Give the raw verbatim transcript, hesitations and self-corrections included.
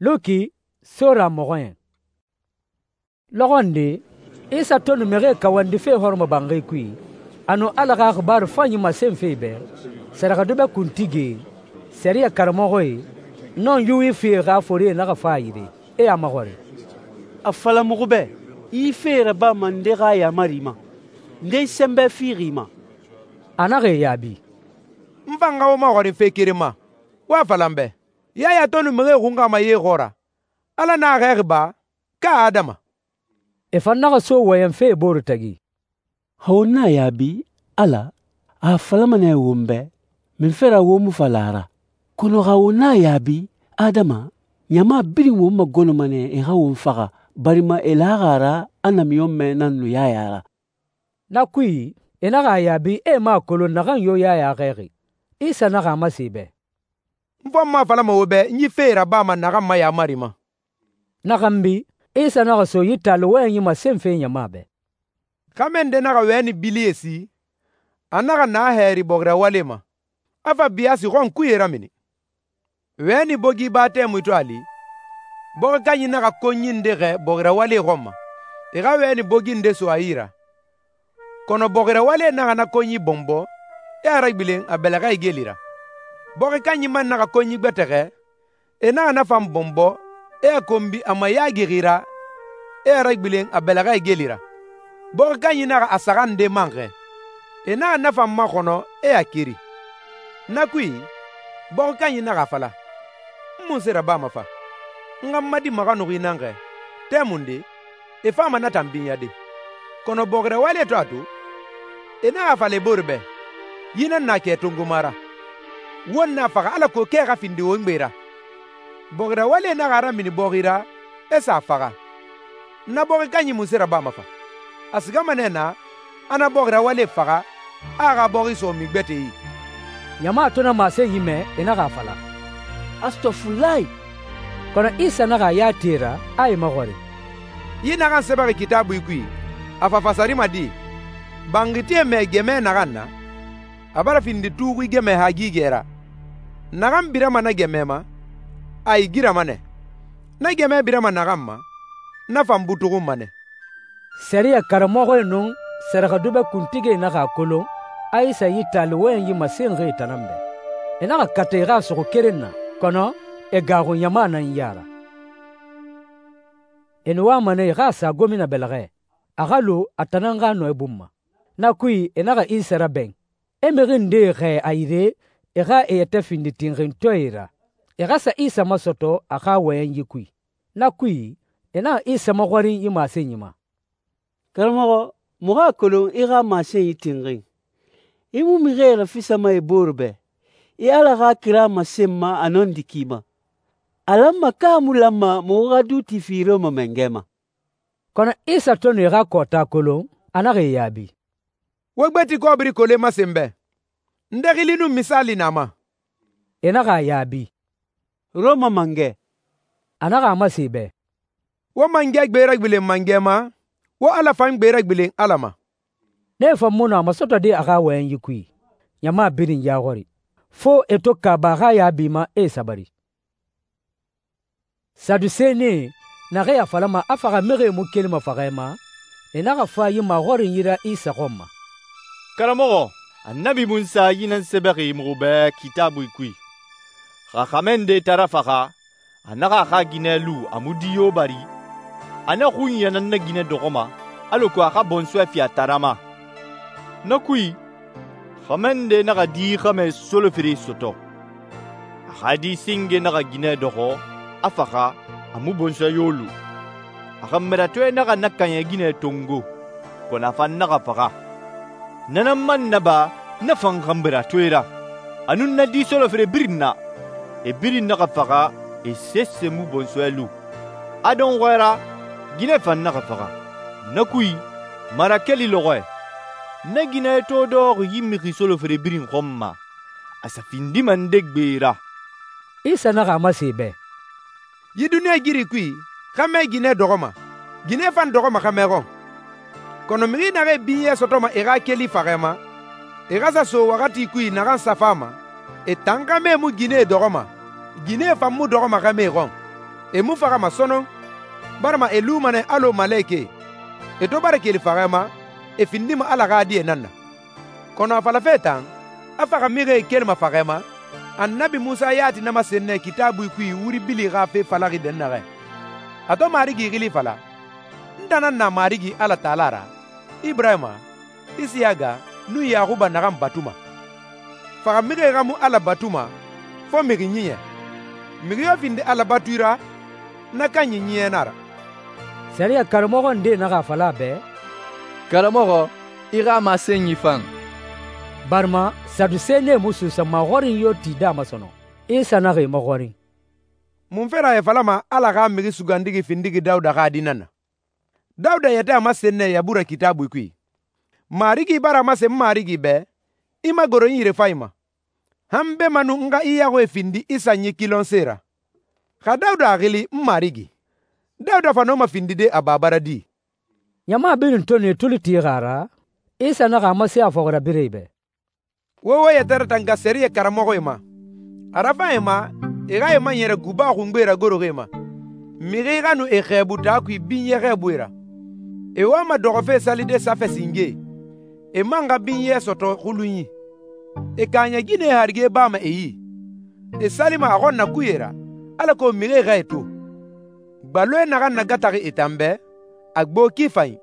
Luki sora mɔxɔɲɛn. Lɔxɔ nde, Isa to nu mixie kawandife hɔrɔmɔbanxi kui, a nu Ala xa xibaaru fanyi masenfe e bɛ, sɛrɛxɛdubɛ kuntigie, sɛriyɛ karamɔxɔe, nɔn Yuwifie xa forie naxa fa a yire, e a maxɔrin, «A fala muxu bɛ, i yi fee rabama nde xa yaamari ma? Nde i sɛnbɛ fixi i ma?» A naxa e yaabi, «N fan xa wo maxɔrin fe keren ma. Wo a fala n bɛ, Yaya to nu mixie xunxama ye xɔɔra, Ala na a xɛɛxi ba, ka adama?» E fan naxa so wɔyɛnfe e bore tagi. «Xa won na a yaabi, Ala, a a falama nɛ won bɛ, munfe ra wo mu fala a ra? Kɔnɔ xa won na a yaabi, adama, ɲama birin won magɔnɔma nɛ e xa won faxa, barima e laxi a ra a namiɲɔnmɛ nan nu Yaya ra.» Na kui, e naxa a yaabi e mu a kolon naxan yo Yaya xɛɛxi. Isa naxa a masen e bɛ, «N fan mu a falama wo bɛ n yi fee rabama naxan ma yaamari ma.» Na xanbi, Isa naxa so yi taali wɔyɛnyi masenfe ɲama bɛ. Xɛmɛ nde naxa wɛni bilie si, a naxa na hɛɛri bɔxirawale ma, a fa biyaasi xɔnkuye ramini. Wɛni bogi ba tɛmui to a li, bɔxi kanyi naxa konyi nde xɛɛ bɔxirawale xɔn ma, e xa wɛni bogi nde so a yi ra. Kɔnɔ bɔxirawale naxa na konyi bɔnbɔ, e a ragbilen a bɛlɛxɛ igeli ra. Bɔxi kanyi man naxa konyi gbɛtɛxɛ, e naxa na fan bɔnbɔ, e a konbi a mayaagixi ra, e a ragbilen a bɛlɛxɛ igeli ra. Bɔxi kanyi naxa a saxa nde man xɛɛ, e naxa na fan maxɔnɔ, e a keri. Na kui, bɔxi kanyi naxa a fala, n munse rabama fa? N xa n ma di maxanuxi nan xɛɛ, tɛmunde, e fama na tan binyade. Kɔnɔ bɔxirawale to a to, e naxa a fala e bore bɛ, yi nan na kɛ tongoma ra. Won na faxa alako kɛ xa findi won gbe ra. Bɔxirawale naxa a ramini bɔxi ra, e sa a faxa. Na bɔxi kanyi munse rabama fa? A sigama nɛ na, a na bɔxirawale faxa, a a xa bɔxi sɔɔmi gbɛtɛ yi.» Ɲama to na masenyi mɛ, e naxa a fala, «Astɔfulayi!» Kɔnɔ Isa naxa a ya ti e ra, a e maxɔrin, «Yi naxan sɛbɛxi Kitaabui kui, a fa fasarima di? Banxitie mɛ gɛmɛ naxan na, a bara findi tuuxui gɛmɛ hagigɛ ra. Naxan birama na gɛmɛ ma, a igirama nɛ. Na gɛmɛ birama naxan ma, na fan butuxunma nɛ.» Sɛriyɛ karamɔxɔe nun sɛrɛxɛdubɛ kuntigie naxa a kolon a Isa yi taali wɔyɛnyi masenxi e tan nan bɛ. E naxa kata e xa a suxu keren na, kɔnɔ e gaaxu ɲama nan ya ra. E nu wama nɛ e xa a sa gomina bɛlɛxɛ, a xa lu a tan nan xa nɔ e bun ma. Na kui, e naxa Isa rabɛn, e mixi ndee xɛɛ a yire e xa e yɛtɛ findi tinxintɔɛe ra, e xa sa Isa masɔtɔ a xa wɔyɛnyi kui. Na kui, e naxa Isa maxɔrin yi masenyi ma, «Karamɔxɔ, muxu a kolon i xa masenyi tinxin. I mu mixie rafisama i bore bɛ, i Ala xa kira masenma a nɔndi ki ma. A lanma ka a mu lanma muxu xa duuti fi Rɔma mangɛ ma?» Kɔnɔ Isa to nu e xa kɔɔta kolon, a naxa e yaabi, «Wo gbeti kɔbiri kole masen bɛ, nde xili nun misaali na ma?» E naxa a yaabi, «Rɔma mangɛ.» A naxa a masen e bɛ, «Wo mangɛ gbe ragbilen mangɛ ma, wo Ala fan gbe ragbilen Ala ma.» Ne fan mu nu a masɔtɔde a xa wɔyɛnyi kui, ɲama birin ya xɔri, fo e to kaaba a xa yaabi ma e sabari. Sadusenie naxee a falama a faxa mixie mu kelima faxɛ ma, e naxa fa yi maxɔrin yira Isa xɔn ma, «Karamɔxɔ, Annabi Munsa yi nan sɛbɛxi muxu bɛ Kitaabui kui. Xa xɛmɛ nde tara faxa, a naxa a xa ginɛ lu a mu di yo bari, a na xunya nan na ginɛ dɔxɔma, alako a xa bɔnsɔɛ fi a tara ma. Na kui, xɛmɛ nde naxa di xɛmɛ solofere sɔtɔ. A xa di singe naxa ginɛ dɔxɔ, a faxa, a mu bɔnsɔɛ yo lu. A xanbɛratɔɛ naxa na kaɲɛ ginɛ tongo, kɔnɔ a fan naxa faxa. Na nan man naba na fan xanbɛratɔɛ ra, a nun na di solofere birin na. E birin naxa faxa, e sese mu bɔnsɔɛ lu. A dɔnxɔɛ ra, ginɛ fan naxa faxa. Na kui, mara keli lɔxɔɛ. Na ginɛ to dɔxɔ yi mixi solofere birin xɔn ma, a sa findima nde gbe ra.» Isa naxa a masen e bɛ, «Yi duniɲa giri kui, xɛmɛ ginɛ dɔxɔma, ginɛ fan dɔxɔma xɛmɛ xɔn. Kɔnɔ mixi naxee binyɛ sɔtɔma e xa keli faxɛ ma, e xa sa so waxati kui naxan safa ma, e tan xɛmɛ mu ginɛ dɔxɔma, ginɛ fan mu dɔxɔma xɛmɛ xɔn. E mu faxama sɔnɔn, barima e luma nɛ alɔ malekɛe. E to bara keli faxɛ ma, e findima Ala xa die nan na. Kɔnɔ a falafe tan, a faxa mixie kelima faxɛ ma, Annabi Munsa yati na masen nɛ Kitaabui kui wuri bili xa fe falaxi dɛnnaxɛ. A to Marigi xili fala, n tan nan na Marigi Ala Taala ra, Iburahima, Isiyaga, nun Yaxuba naxan batuma. Faxa mixie xa mu Ala batuma fo mixi ɲiɲɛ. Mixi yo findi Ala batui ra, na kanyi ɲiɲɛ na ra.» Sariya karamɔxɔ nde naxa a fala a bɛ, «Karamɔxɔ, i xa masenyi fan.» barima sadusenie mu suusa maxɔrin yo tide a ma sɔnɔn. Isa naxa e maxɔrin, «Munfe ra e falama Ala xa mixi sugandixi findixi Dawuda xa di nan na? Dawuda yɛtɛ a masen nɛ Yabura Kitaabui kui, Marigi bara a masen n Marigi bɛ, ‹I magoro n yirefanyi ma, han bemanu n xa i yaxuie findi i sanyi kilɔnse ra.› Xa Dawuda a xili n Marigi, Dawuda fa nɔma findide a baba ra di?» ɲama birin to nu e tuli tixi a ra, Isa naxa a masen a fɔxirabirɛe bɛ, «Wo wo yɛtɛ ratanga sɛriyɛ karamɔxɔe ma, a rafan e ma e xa e maɲɛrɛ guba xungbe ragoroxie ma, mixi xa nu e xɛɛbu taa kui binyɛ xɛɛbuie ra. E wama dɔxɔfe salide safɛ singe, e man xa binyɛ sɔtɔ xulunyi. E kaaɲɛ ginɛe harige bama e yi, e salima a xɔn nakuye ra, alako mixie xa e to. Gbaloe naxan nagataxi e tan bɛ, a gbo ki fanyi.